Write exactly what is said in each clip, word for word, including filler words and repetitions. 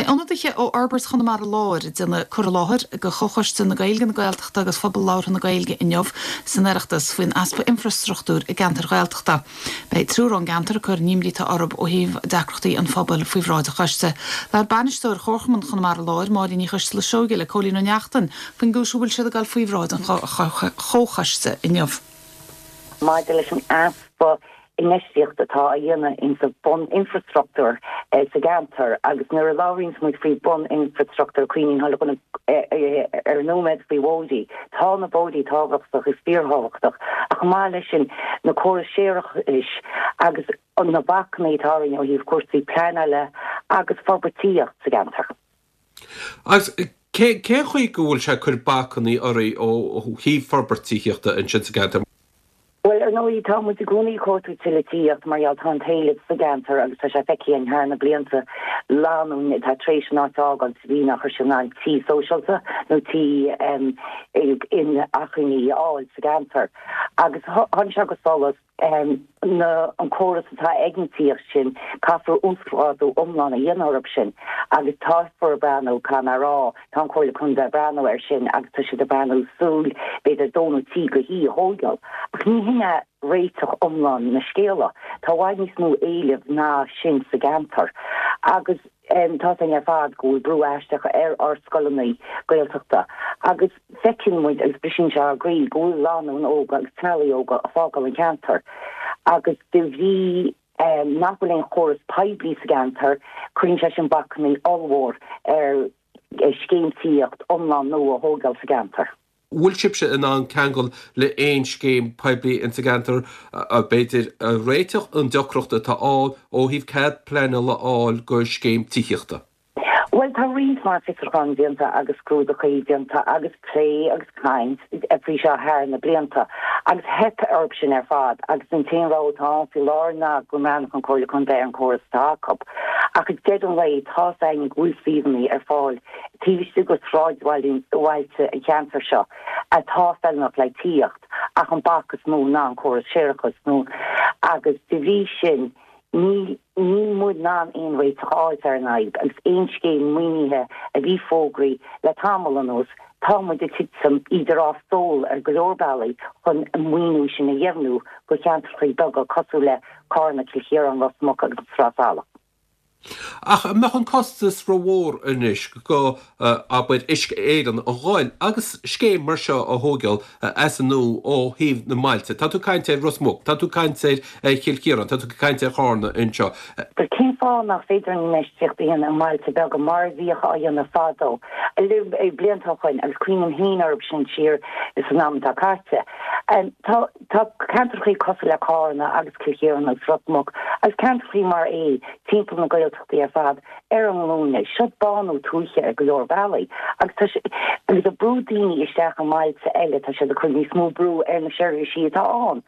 Beidh ionadaithe ó Fhorbairt Chonamara Láir ag déanamh cur i láthair go Chomhchoiste na Gaeilge na Gaeltachta agus Phobal Labhartha na Gaeilge inniu san Oireachtas faoin easpa infrastruchtúir i gceantar Ghaeltachta. Beidh triúr ón gceantar ag cur na n-imní atá orthu ó thaobh deacrachtaí an phobail faoi bhráid an choiste. Labhair bainisteoir Chomharchumann Chonamara Láir Máirín Ní Choisteala Seoige le Cóilín Ó Neachtain faoin gcúis a bhfuil siad ag dul faoi bhráid an chomhchoiste inniu. Maidir leis an easpa infheistíocht atá á dhéanamh insa bun-infrastruchtúr eh, sa gceantar agus nuair a labhraíonn muid faoi bun-infrastruchtúr cuimhníonn eh, eh, ar nóiméad faoi bhóithre. Tá na bóithre tábhachtach is fíorthábhachtach ach maith leis sin na córais séarachais agus an na bacanna atá ó thaobh cúrsaí pleanála agus forbraíocht sa gceantar. Agus cé chaoi go bhfuil sé cur bacanna oraibh ó thaobh forbairt tithíochta ansin sa gceantar. Well ar ndóigh tá muid i gcónaí ag cuartú tithíocht mar gheall tá an t-éileamh sa gceantar agus tá sé feicthe againn thar na blianta lánúin atá tar éis an áit a fhágáil bhí nach sin an tí sóisialta nó tí um, in achainí a fháil sa gceantar. Agus tháinig sé go solas um, na an córas atá ag an tíocht sin caithfear uasghrádú iomlán a dhéanamh orthu sin agus táfar breathnú can rá tá Comhairle Contae breathnú ar sin agus tá siad ag breathnú súil b'fhéidir dó nó trí go hí thógáil. Ach ní hin é réiteach iomlán na scéala Tá i bhfad níos mó éilimh ná sin sa gceantar agus um, tá an ar fad go bhfuil brú aisteach ar ár scoileanna Gaeltachta agus feiceann muid agus briseann sé ár gcroí go bhfuil lánúin óga agus teaghlaigh óga ag fágáil an ceantar agus de bhrí um, nach bhfuil aon chóras poiblí sa gceantar cuireann sé sin bacanna ollmhór ar scéim tithíocht iomlán nua a thógáil sa gceantar. Bhfuil sibhse in ann ceangal le aon scéim poiblí in sa gceantar b'fhéidir réiteach an deacracht atá ann ó thaobh cead pleanála a fháil go scéim tithíochta. Well tá roinnt mar fiosrúchán déanta agus scrúduithe déanta agus plé agus caint faoi seo thar na blianta agus theip orthu sin ar fad agus an t-aon rud atá faoi láthair ná go mbreathnódh an Chomhairle Contae ar an chóras atá acu. Ach ag deireadh an lae tá an go bhfuil suíomhanna ar fáil taobh go sráidbhailte an cheantar seo atá feiliúnach le tithíocht ach an bac is mó ná an córas séarachais nó agus de bhrí sin ní ní muid ná aon réiteach áit ar an fhadhb agus aon scéim maoinithe a bhí fógraithe le tamall anuas tá muid ag titim idir dhá stól ar go leor bealaí chun an maoiniú sin a dheimhniú go ceantracha beaga cosúil le Carna Cill Chiaráin Ros Muc agus Sraith Salach. Ach mbeadh an costas rómhór anois go abair Uisce Éireann a dhul agus scéim mar seo a thógáil as an nua ó thaobh na mbailte. Tá tú caint ar Ros Muc, tá tú caint ar Chill Chiaráin, tá tú caint ar Charna anseo. Gur cén fáth nach féidir an infheistíocht a dhéanamh i mbailte beaga mar a bhíodh á dhéanamh fadó. blianta ó shin agus cuimhním féin orthu sin siar san am atá caite. Tá ceantracha cosúil le Carna agus Cill Chiaráin agus Ros Muc agus ceantracha mar é timpeall na Gaeltachtaí ar fad ar an nglúine seo bánú tuaithe ar go leor bealaí agus agus ag brú daoine isteach i mbailte eile tá sé ag cur níos mó brú ar na seirbhísí atá ann.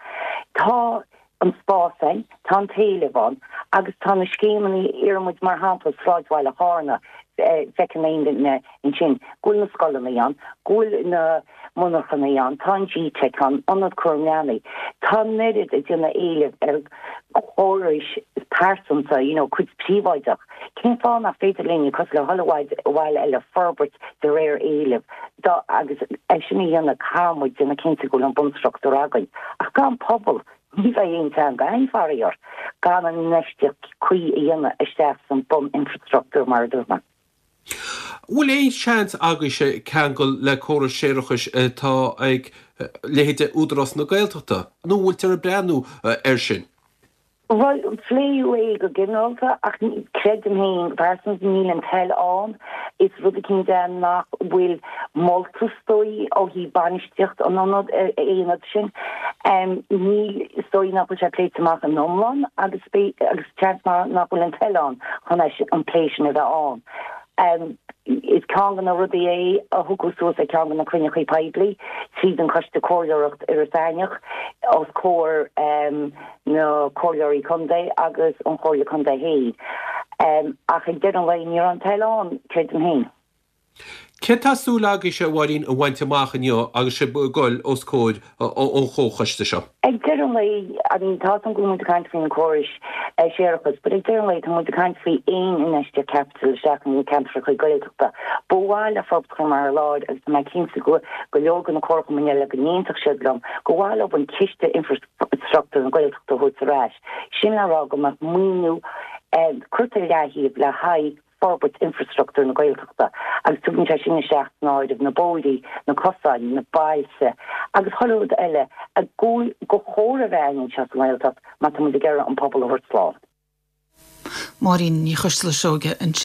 Tá an spás ann, tá an t-éileamh ann agus tá na scéimeanna ar muid mar shampla sráidbhaile Charna feiceann aon duine ansin go bhfuil na scoileanna ann, go bhfuil na monarchana ann, tá an GTeic ann, ionad cúram leanaí. Tá an oiread ag déanamh éileamh ar chórais pearsanta, you know, cuid príobháideach. Cén fáth nach féidir linn cosúil le chuile bhaile eile forbairt de réir éilimh da agus é sin a dhéanamh caithfidh muid déanamh cinnte go bhfuil an bunstruchtúr againn. Ach gan pobal ní bheidh aon teanga ann faraor gan an infheistíocht cuí a dhéanamh isteach san bun-infrastruchtúr mar a dúirt mé. Bhfuil aon seans agaibhse ceangal le córas séarachais atá ag leithéide Údarás na Gaeltachta, nó bhfuiltear ag breathnú air sin? Well pléadh é go ginearálta ach creidim féin pearsanta níl an toil ann is rud cinnte nach bhfuil molta is dóigh ó thaobh bainistíocht an ionad aonad sin. Um, níl is dóigh nach bhfuil sé pléite amach an iomlán agus agus seans nach bhfuil an toil ann chun an plé sin a bheith ann. Um, is ceann de na rudaí é a tugadh suas ag ceann de na cruinnithe poiblí tríd an Coiste Comhairleoireacht Iorras Aithneach os comhair um, na comhairleoirí contae agus an Chomhairle Contae féin. Um, ach ag deireadh an lae níl an toil ann creidim féin. Céard tá súil agaibhse, a Mháirín, a bhaint amach inniu agus sibh ag goil os comhair an chomhchoiste seo? Ag deireadh an lae, I mean, tá an go bhfuil muid ag caint faoin córas séarachais, but ag deireadh an lae tá muid ag caint faoi aon infheistíocht caipitil isteach in ceantracha Gaeltachta. Ba mhaith le Forbairt Chonamara Láir agus tá mé cinnte go go leor de na comharchumainn eile go n-aontódh siad liom, go mhaith leo an ciste infrastruchtúr na Gaeltachta a thabhairt ar ais. Sin le rá go mbeadh maoiniú curtha ar leataobh le haghaidh forbairt infrastruchtúr na Gaeltachta agus tugann sé sin isteach san áireamh na bóithrí, na cosáin, na bailte agus chuile rud eile a go go chóir a bheith anseo sa nGaeltacht má tá muid ag iarraidh an pobal a thabhairt slán. Máirín Ní Choisdealbha-Seoige an